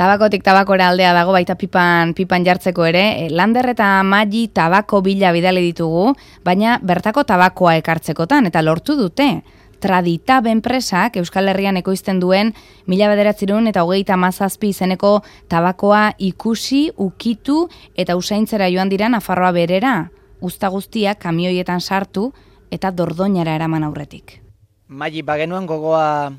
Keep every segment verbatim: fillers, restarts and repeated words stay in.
Tabakotik tabakora aldea dago baita pipan pipan jartzeko ere. Lander eta Maggi tabako bila bidali ditugu, baina bertako tabakoa ekartzekotan eta lortu dute. Traditab enpresak Euskal Herrian ekoizten duen mila bederatzirun eta hogeita hamazazpi izeneko tabakoa ikusi, ukitu eta usaintzera joan dira Nafarroa berera. Uzta guztiak kamioietan sartu eta Dordoñara eraman aurretik. Maggi, bagenuen gogoa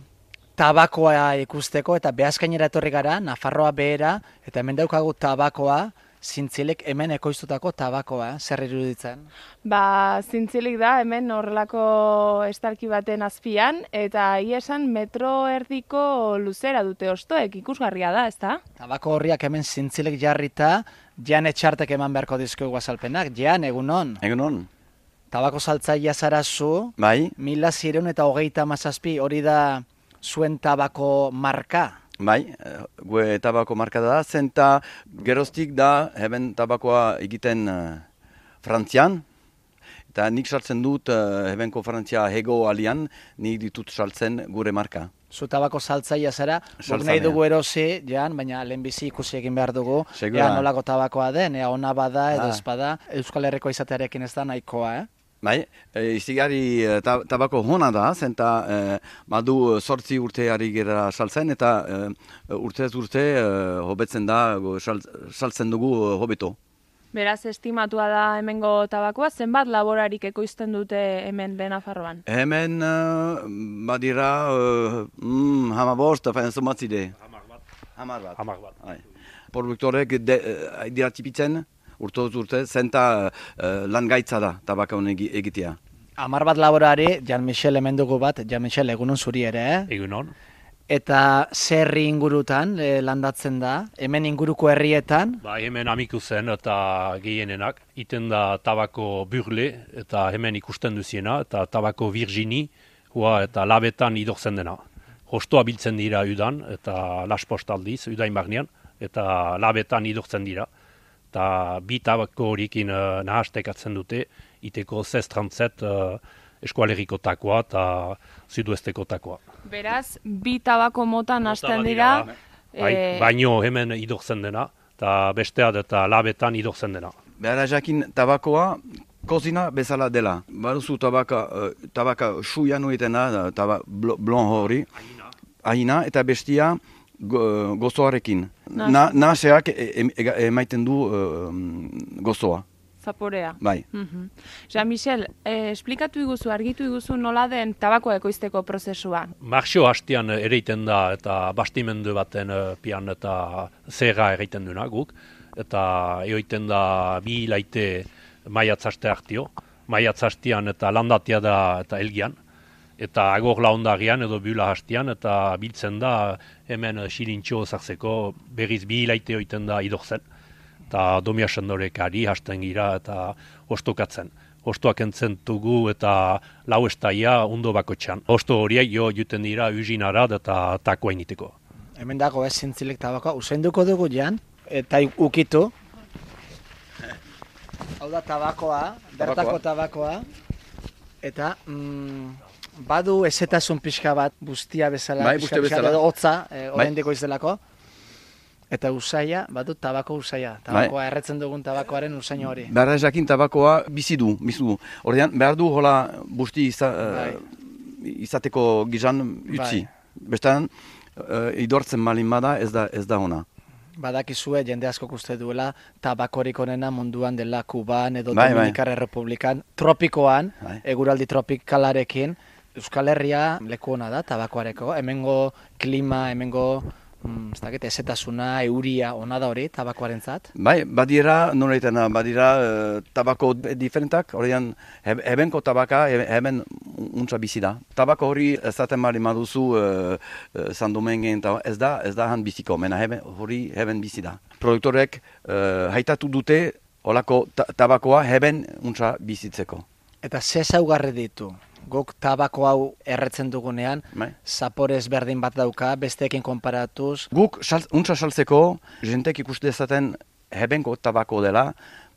tabakoa ikusteko eta Beaskainera etorri gara, Nafarroa behera, eta hemen daukagu tabakoa, Zintzilek hemen ekoiztutako tabakoa, zer iruditzen? Ba, Zintzilik da hemen horrelako estalki baten azpian, eta ia esan metro erdiko luzera dute ostoek, ikusgarria da, ezta? Tabako horriak hemen Zintzilek jarrita, Jan Etxartek eman beharko dizkogu azalpenak. Jan, egunon? Egunon. Tabako saltzailea zara zu, Bai. mila zireun eta hogeita hamazazpi, hori da zuen tabako marka? Bai, gue tabako marka da, zenta geroztik da, hemen tabakoa egiten uh, Frantzian, eta nik saltzen dut, uh, hebenko Frantzia hego alian, nik ditut saltzen gure marka. Zu tabako saltzailea zara, guk nahi dugu erosi, Jan, baina lehenbizi ikusi egin behar dugu, ea nolako tabakoa den, ea ona bada edo ez bada, Euskal Herriko izatearekin ez da nahikoa, eh? Bai, e, izigari e, tabako hona da, zenta e, badu sortzi urte ari gera saltzen, eta e, urtez urte e, hobetzen da, sal, saltzen dugu hobeto. Beraz, estimatua da hemengo tabakoa, zenbat laborarik ekoizten dute hemen Nafarroan? Hemen uh, badira uh, mm, hamabost, fain zomatzide. Hamar bat. Hamar bat. Hamar bat. Produktorek uh, dira tipitzen, urtoz urte, zenta uh, lan gaitza da tabakaun egitea. Hamar bat laborari, Jan Michel hemen dugu bat, Jan Michel egunon zuri ere, eh? Egunon. Eta zerri ingurutan eh, landatzen da, hemen inguruko herrietan? Ba, hemen amiku zen eta gehienenak, iten da tabako burle eta hemen ikusten duziena, eta tabako virgini, hua eta labetan idortzen dena. Hostoa biltzen dira udan, eta laspost aldiz, udain barnean, eta labetan idortzen dira. Eta bi tabako horikin uh, nahastekatzen dute, iteko zestrantzet uh, eskualeriko takoa eta zuduesteko takoa. Beraz, bi tabako mota nahasten dira. Bai, e... baino hemen idortzen dena, eta besteat eta labetan idortzen dena. Behar jakin tabakoa kozina bezala dela. Baduzu tabaka, uh, tabaka suia nuetena, taba blon hori, ahina, eta bestia go, gozoarekin. Na, naseak emaiten du uh, gozoa. Zaporea. Bai. Mm-hmm. Jean-Michel, eh, esplikatu iguzu, argitu iguzu nola den tabakoa ekoizteko prozesua? Marxo hastian ereiten da eta bastimendu baten uh, pian eta zerra ereiten duna guk. Eta eoiten da bi hilaite maiatzaste hartio. Maiatzastian eta landatia da eta elgian. Eta agor laundarian edo bula hastian eta biltzen da hemen xilintxo zartzeko berriz bi hilaite oiten da idorzen. Eta domia sendorek-ari hasten gira eta ostokatzen. Ostoak entzen dugu eta lau estaia ondo bakotxan. Osto horiek jo juten dira usinara eta takoa initeko. Hemen dago ez Zintzilek tabakoa, usainduko dugu Jan, eta ukitu. Hau da tabakoa, bertako tabakoa. Eta mm, badu ezetasun pixka bat bustia bezala, bai, bustia bezala. Edo hotza, eh, oraindik izdelako. Eta usaia, badut tabako usaia. Tabakoa bai. Erretzen dugun tabakoaren usaino hori. Behar jakin tabakoa bizi du, bizi du. Ordean, behar du hola busti iza, bai. uh, izateko gizan utzi. Bai. Bestan, uh, idortzen malin bada ez da, ez da ona. Badakizue jende asko uste duela tabakorik onena munduan dela Kuban edo bai, Dominikar bai. Errepublikan, tropikoan, bai. eguraldi tropikalarekin, Euskal Herria leku ona da tabakoareko, hemengo klima, hemengo Mm, ez dakit, ezetasuna, euria, ona da hori, tabakoarentzat? Bai, badira, noreitena, badira uh, tabako diferentak, horrean hebenko tabaka, hemen untsa bizi da. Tabako hori ez zaten mali maduzu uh, uh, Sandomengen, ez da, ez da han biziko, mena heben, hori heben bizi da. Produktorek uh, haitatu dute, holako ta tabakoa heben untsa bizitzeko. Eta ze zaugarri ditu? Guk tabako hau erretzen dugunean, zapore ezberdin bat dauka, besteekin konparatuz. Guk untsa saltzeko, jentek ikuste dezaten hebenko tabako dela,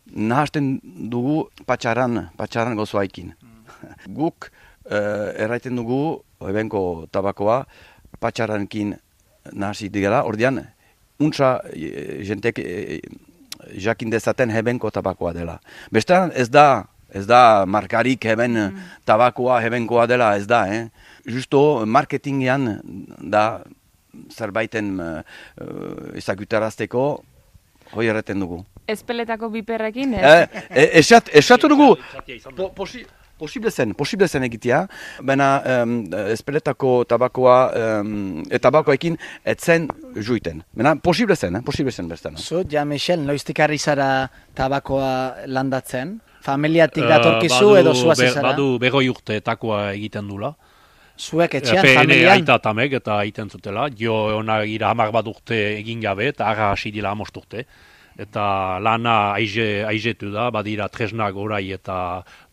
nahasten dugu patxaran, patxaran gozoaikin. Mm. Guk uh, erraiten dugu hebenko tabakoa patxarankin nahasi digela, ordean untsa e, jentek e, jakin dezaten hebenko tabakoa dela. Bestean ez da, ez da markarik heben mm. tabakoa hebenkoa dela, ez da, eh? Justo marketingean da zerbaiten uh, ezagutarazteko hoi erreten dugu. Ezpeletako biperrekin, ez? Eh, eh, esat, esatu dugu, po, posi, posible zen, posible zen egitea, baina um, ezpeletako tabakoa, um, e, tabakoekin etzen juiten. Baina posible zen, eh? Posible zen bestan. Zu, ja, Michel, noiztik harri zara tabakoa landatzen? Familiatik datorkizu uh, edo zuaz be, izara? Badu begoi urte takoa egiten dula. Zuek etxean, Ene familian? aita tamek eta egiten zutela. Jo ona gira hamar bat urte egin gabe eta ara hasi dila hamost urte. Eta lana aize, aizetu da, badira tresnak orai eta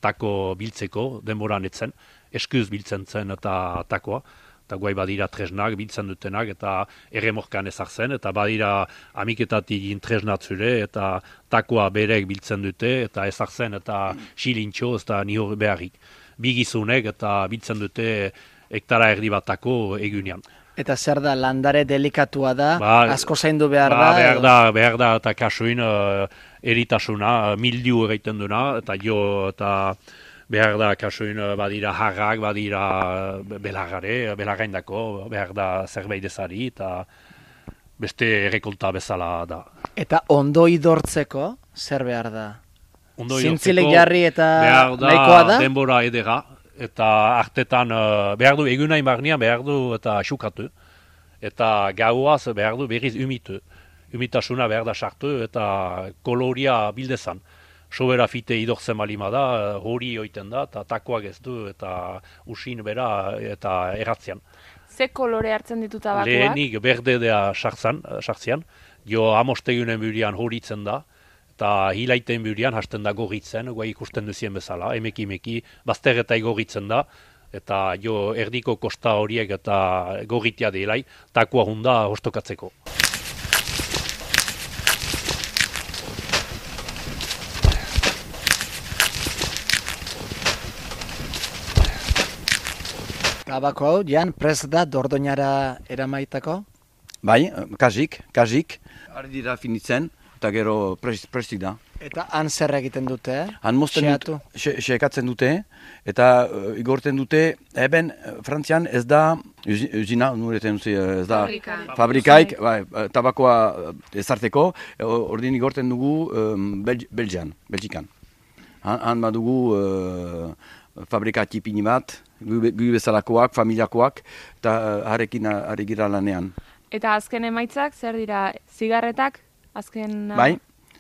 tako biltzeko denboran etzen. Eskuz biltzen zen eta takoa. Eta guai badira tresnak biltzen dutenak eta erremorkan ezartzen. Eta badira amiketatik tresnatzure eta takoa berek biltzen dute eta ezartzen eta silintxo ez da nihor beharrik. Bigizunek eta biltzen dute hektara erdi batako egunean. Eta zer da, landare delikatua da, Ba, asko zaindu behar ba, da? Behar edo? da, behar da eta kasuin uh, eritasuna, uh, mildiu egiten duna, eta jo eta behar da kasuin uh, badira harrak, badira uh, belargare, belargaindako, behar da zerbait ezari, eta beste errekolta bezala da. Eta ondo idortzeko, zer behar da? Ondo Zintzilik idortzeko jarri eta behar da nahikoa da? denbora edera, eta artetan uh, behar du egunain barnean behar du eta xukatu, eta gauaz behar du berriz umitu. Umitasuna behar da sartu eta koloria bildezan. Sobera fite idortzen balima da, hori oiten da, eta takoak ez du, eta usin bera eta erratzean. Ze kolore hartzen ditu tabakoak? Lehenik berdedea sartzean, jo amostegunen burian horitzen da, eta hilaiten burian hasten da gorritzen, guai ikusten duzien bezala, emeki emeki, bazterretai gorritzen da, eta jo erdiko kosta horiek eta gorritia delai, takoa hunda hostokatzeko. Tabako hau, Jan, prest da dordoinara eramaitako? Bai, kasik, kasik, ari dira finitzen, eta gero prest, prestik da. Eta han zer egiten dute? Han mozten Xeatu? dut, xe, xekatzen dute, eta uh, igorten dute, eben, uh, Frantzian ez da, usi- usina, nureten duzi, uh, ez da, Fabrika. fabrikaik, bai, uh, tabakoa uh, ezarteko, uh, ordin igorten dugu um, Belgi- Belgian, Belgikan. Han, han badugu uh, fabrika tipini bat, gu gu bezalakoak, familiakoak, eta uh, harekin uh, ari gira lanean. Eta azken emaitzak, zer dira, zigarretak? Azken Bai,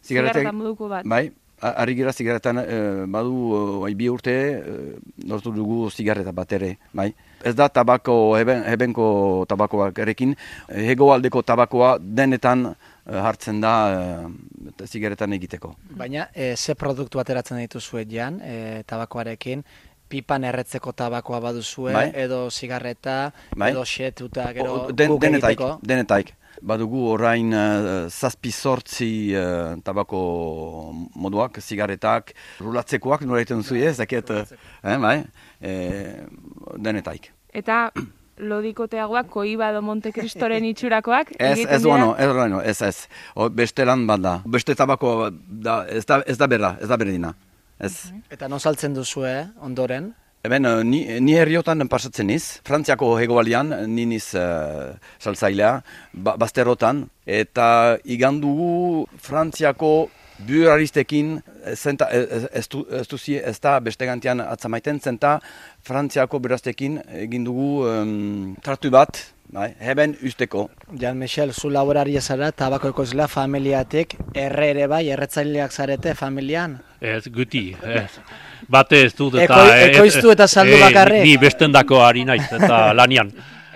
zigarreta zigarretek, moduko bat. bai, a- ari gira zigarretan, eh, badu uh, bi urte, eh, lortu dugu zigarreta bat ere, bai. Ez da tabako, heben, hebenko tabakoak erekin, hegoaldeko tabakoa denetan eh, hartzen da eh, zigarretan egiteko. Baina, e, ze produktu ateratzen dituzue, Jan, e, tabakoarekin? Pipan erretzeko tabakoa baduzue, Bai. edo zigarreta, Bai. edo xetuta, gero O- den, guk denetaik, egiteko? denetaik. Badugu orain uh, zazpi sortzi uh, tabako moduak, zigaretak, rulatzekoak, nora egiten duzu ez, zaket, eh, bai, eh, denetaik. Eta lodikoteagoak, Koiba edo Monte Cristoren itxurakoak Ez, egiten ez dira? duano, ez duano, ez, ez. O, beste lan bat da, beste tabako da, ez da, ez da berra, ez da berdina. Ez. Eta non saltzen duzue, ondoren? Hemen, eh, ni, ni herriotan pasatzen niz, Frantziako hegoaldean, ni niz uh, saltzailea, ba, bazterrotan, eta igandugu Frantziako buraristekin, zenta, ez, ez, du- ez, duzi- ez da beste gantian atzamaiten, zenta Frantziako buraristekin egin dugu um, tratu bat, bai, heben usteko. Jan Michel, zu laboraria zara, tabako ekoizlea familiatik, erre ere bai, erretzaileak zarete familian? Ez, guti, ez. Bate ez dut eta... Eko- eh, ekoiztu eta saldu eh, bakarrik? Ni bestendako ari naiz eta lanian.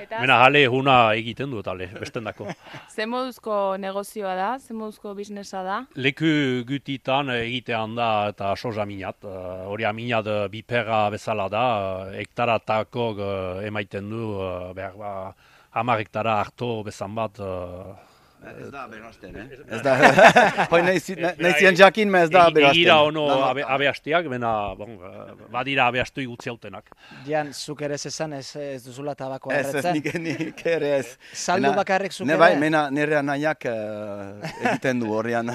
Eta Mena jale huna egiten dut, ale, bestendako. ze moduzko negozioa da, ze moduzko biznesa da? Leku gutitan egitean da eta soja minat. Uh, hori aminat uh, biperra bezala da, uh, hektaratako uh, emaiten du, uh, behar ba, hamar hektara harto bezan bat, uh, Ez da aberasten, eh? Ez da, hoi nahi zien jakin, ez da aberasten. Egira ono abe, abeastiak, bena, bon, badira abeastu igutzi hautenak. Jan, zuk ere esan ez, ez duzula tabakoa Ez, ez, erretzen? nik, nik ere ez. Saldu bakarrik zuk Ne ere? bai, mena nire anaiak uh, egiten du horrean.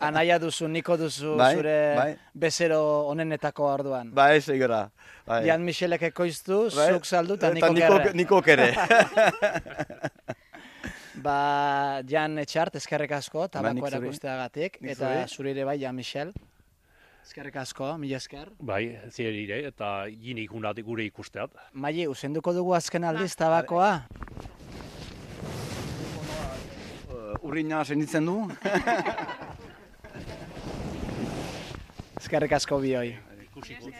Anaia duzu, niko duzu, Bai, zure bai. bezero onenetako orduan. Bai, segura. Bai. Jan Michelek ekoiztu, Bai. zuk saldu eta Eta niko gerre. Nikok ere. Ba, Jan Etxart, eskerrik asko, nik tabakoa zuri. erakusteagatik, Nik eta zuri. zuri ere bai, Jan Michel. Eskerrik asko, mila esker. Bai, zirire, eta gini ikunat gure ikusteat. Maili, usenduko dugu azken aldiz tabakoa? Uh, Urrina senditzen du. Eskerrik asko bioi. Ikusiko.